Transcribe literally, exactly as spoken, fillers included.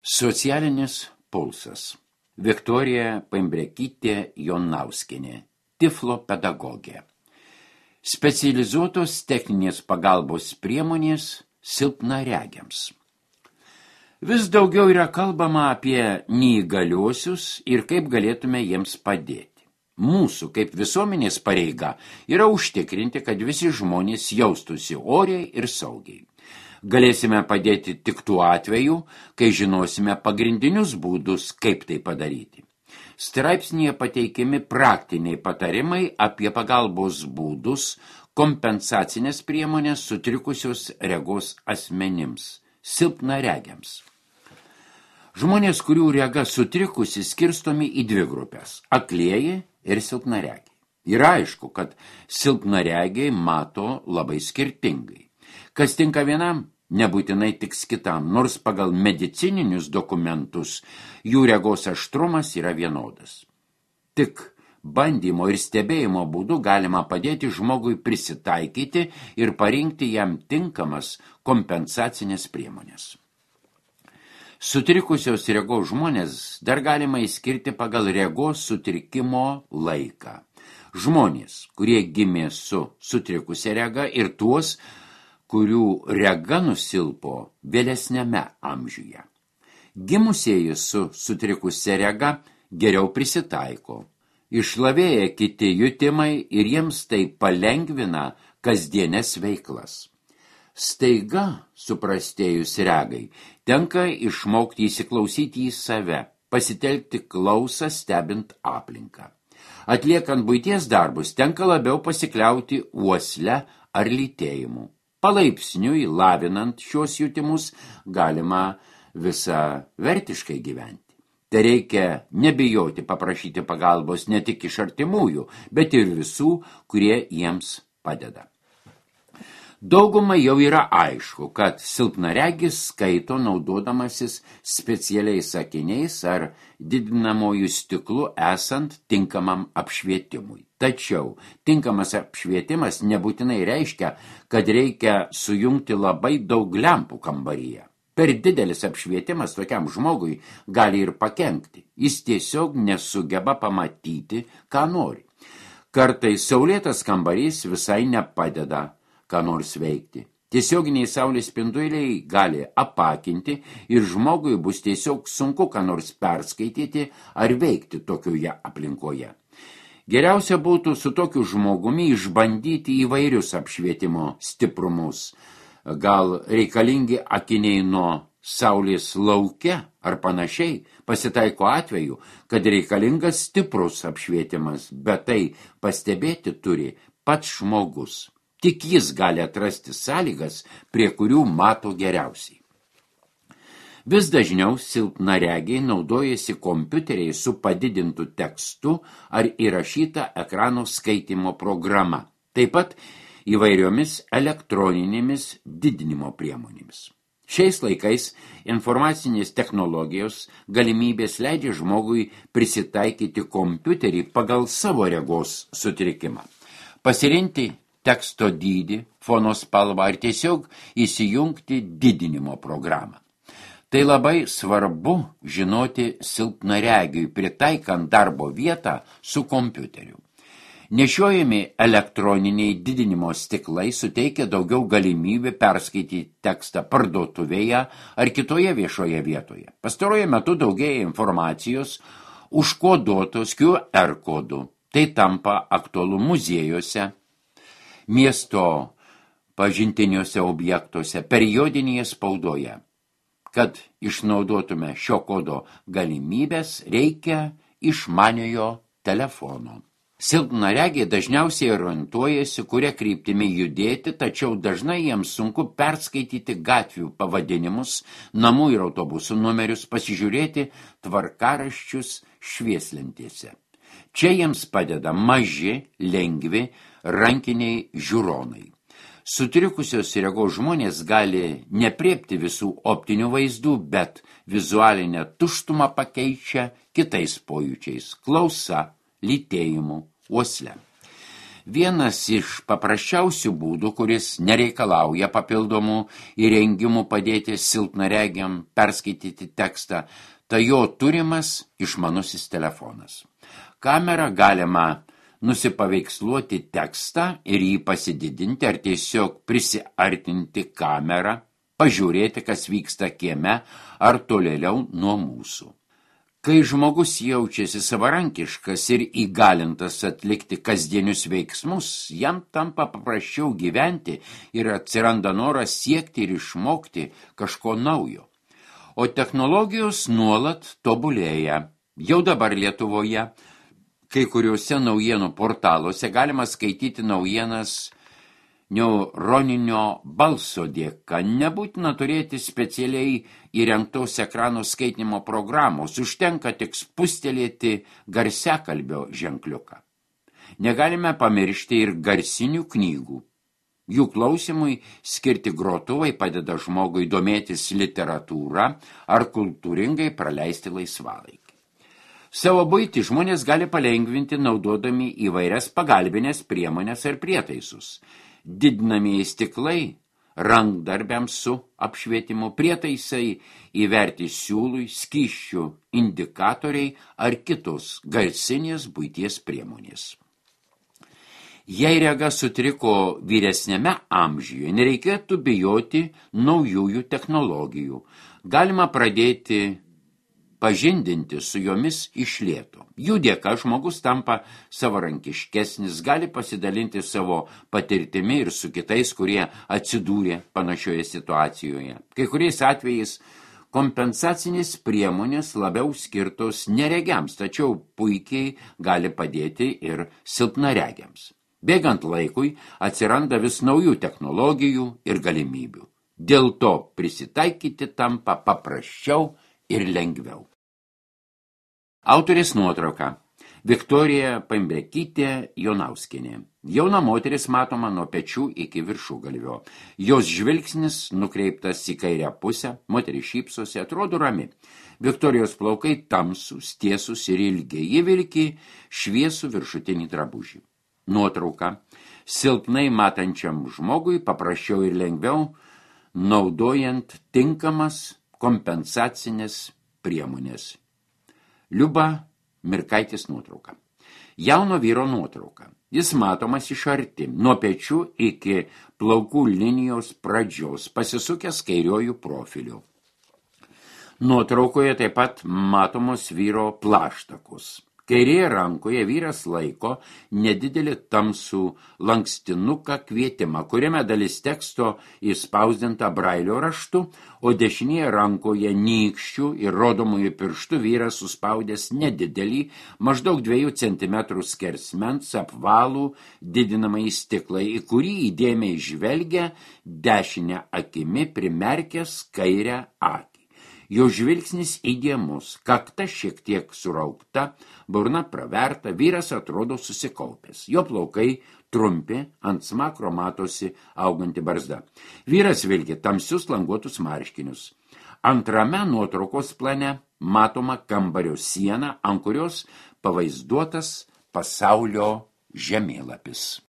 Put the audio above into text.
Socialinis pulsas. Viktorija Paimbrekytė Jonauskienė, Tiflo pedagogė. Specializuotos techninės pagalbos priemonės silpnaregiams. Vis daugiau yra kalbama apie neįgaliuosius ir kaip galėtume jiems padėti. Mūsų kaip visuomenės pareiga yra užtikrinti, kad visi žmonės jaustųsi oriai ir saugiai. Galėsime padėti tik tuo atveju, kai žinosime pagrindinius būdus, kaip tai padaryti. Straipsnyje pateikiami praktiniai patarimai apie pagalbos būdus, kompensacinės priemonės sutrikusios regos asmenims, silpnaregiams. Žmonės, kurių rega sutrikusi, skirstomi į dvi grupės – aklieji ir silpnaregiai. Yra aišku, kad silpnaregiai mato labai skirtingai. Kas tinka vienam, nebūtinai tiks kitam, nors pagal medicininius dokumentus jų regos aštrumas yra vienodas. Tik bandymo ir stebėjimo būdu galima padėti žmogui prisitaikyti ir parinkti jam tinkamas kompensacinės priemonės. Sutrikusios regos žmonės dar galima įskirti pagal regos sutrikimo laiką. Žmonės, kurie gimė su sutrikusia rega ir tuos, kurių rega nusilpo vėlesniame amžiuje. Gimusieji su sutrikusia rega geriau prisitaiko. Išlavėja kiti jutimai ir jiems tai palengvina kasdienės veiklas. Staiga, suprastėjus regai, tenka išmokti įsiklausyti į save, pasitelkti klausą stebint aplinką. Atliekant buities darbus, tenka labiau pasikliauti uosle ar lytėjimu. Palaipsniui, lavinant šios jutimus, galima visą vertiškai gyventi. Tai reikia nebijoti paprašyti pagalbos ne tik iš artimųjų, bet ir visų, kurie jiems padeda. Dauguma jau yra aišku, kad silpnaregis skaito naudodamasis specialiais akiniais ar didinamojų stiklu esant tinkamam apšvietimui. Tačiau tinkamas apšvietimas nebūtinai reiškia, kad reikia sujungti labai daug lempų kambaryje. Per didelis apšvietimas tokiam žmogui gali ir pakenkti. Jis tiesiog nesugeba pamatyti, ką nori. Kartais saulėtas kambarys visai nepadeda ką nors veikti. Tiesioginiai saulės spinduliai gali apakinti ir žmogui bus tiesiog sunku ką nors perskaityti ar veikti tokioje aplinkoje. Geriausia būtų su tokiu žmogumi išbandyti įvairius apšvietimo stiprumus. Gal reikalingi akiniai nuo saulės lauke ar panašiai. Pasitaiko atveju, kad reikalingas stiprus apšvietimas, bet tai pastebėti turi pats žmogus. Tik jis gali atrasti sąlygas, prie kurių mato geriausiai. Vis dažniau silpnaregiai naudojasi kompiuteriai su padidintu tekstu ar įrašyta ekrano skaitymo programa, taip pat įvairiomis elektroninėmis didinimo priemonėmis. Šiais laikais informacinės technologijos galimybės leidžia žmogui prisitaikyti kompiuterį pagal savo regos sutrikimą. Pasirinkti teksto dydį, fono spalvą ar tiesiog įsijungti didinimo programą. Tai labai svarbu žinoti silpnaregiui, pritaikant darbo vietą su kompiuteriu. Nešiojami elektroniniai didinimo stiklai suteikia daugiau galimybių perskaityti tekstą parduotuvėje ar kitoje viešoje vietoje. Pastaruoju metu daugėja informacijos užkoduotos Q R kodu. Tai tampa aktualu muziejuose, miesto pažintiniuose objektuose, periodinėje spaudoje. Kad išnaudotume šio kodo galimybės, reikia išmaniojo telefono. Silpnaregiai dažniausiai orientuojasi, kuria kryptimi judėti, tačiau dažnai jiems sunku perskaityti gatvių pavadinimus, namų ir autobusų numerius, pasižiūrėti tvarkaraščius švieslentėse. Čia jiems padeda maži, lengvi, rankiniai žiūronai. Sutrikusios regos žmonės gali nepriepti visų optinių vaizdų, bet vizualinę tuštumą pakeičia kitais pojūčiais – klausa, lytėjimu, uosle. Vienas iš paprasčiausių būdų, kuris nereikalauja papildomų įrengimų padėti silpnaregiam perskaityti tekstą, tai jo turimas išmanusis telefonas. Kamerą galima nusipaveiksluoti tekstą ir jį pasididinti ar tiesiog prisiartinti kamerą, pažiūrėti, kas vyksta kieme ar tolėliau nuo mūsų. Kai žmogus jaučiasi savarankiškas ir įgalintas atlikti kasdienius veiksmus, jam tampa paprasčiau gyventi ir atsiranda noras siekti ir išmokti kažko naujo. O technologijos nuolat tobulėja. Jau dabar Lietuvoje kai kuriuose naujienų portaluose galima skaityti naujienas neuroninio balso dėka. Nebūtina turėti specialiai įrengtos ekrano skaitinimo programos, užtenka tik spustelėti garsiakalbio ženkliuką. Negalime pamiršti ir garsinių knygų. Jų klausimui skirti grotuvai padeda žmogui domėtis literatūrą ar kultūringai praleisti laisvalaikį. Savo buitį žmonės gali palengvinti naudodami įvairias pagalbinės priemonės ir prietaisus. Didinamieji stiklai, rankdarbiams su apšvietimu, prietaisai įverti siūlui, skysčių indikatoriai ar kitos garsinės buities priemonės. Jei rega sutriko vyresniame amžiuje, nereikėtų bijoti naujųjų technologijų. Galima pradėti pažindinti su jomis iš lėto. Jų dėka žmogus tampa savarankiškesnis, gali pasidalinti savo patirtimi ir su kitais, kurie atsidūrė panašioje situacijoje. Kai kuriais atvejais kompensacinės priemonės labiau skirtos neregiams, tačiau puikiai gali padėti ir silpnaregiams. Bėgant laikui atsiranda vis naujų technologijų ir galimybių. Dėl to prisitaikyti tampa paprasčiau ir lengviau. Autorės nuotrauka. Viktorija Pambrekytė Jonauskienė. Jauna moteris matoma nuo pečių iki viršugalvio. Jos žvilgsnis nukreiptas į kairę pusę, moteris šypsosi, atrodo rami. Viktorijos plaukai tamsūs, tiesūs ir ilgi. Ji vilki šviesų viršutinį drabužį. Nuotrauka. Silpnai matančiam žmogui paprasčiau ir lengviau, naudojant tinkamas kompensacinės priemonės. Liuba Mirkaitės nuotrauka. Jauno vyro nuotrauka. Jis matomas iš arti, nuo pečių iki plaukų linijos pradžios, pasisukęs kairiojų profiliu. Nuotraukoje taip pat matomos vyro plaštakos. Kairėje rankoje vyras laiko nedidelį tamsų lankstinuką kvietimą, kuriame dalis teksto įspausdinta brailio raštu, o dešinėje rankoje nykščių ir rodomųjų pirštų vyras suspaudęs nedidelį, maždaug dviejų centimetrų skersmens apvalų didinamąjį stiklą, į kurį įdėmiai žvelgia dešinę akimi primerkęs kairę akį. Jo žvilgsnis įdėmus, kakta šiek tiek suraukta, burna praverta, vyras atrodo susikaupęs. Jo plaukai trumpi, ant smakro matosi auganti barzda. Vyras vilki tamsius languotus marškinius. Antrame nuotraukos plane matoma kambario siena, ant kurios pavaizduotas pasaulio žemėlapis.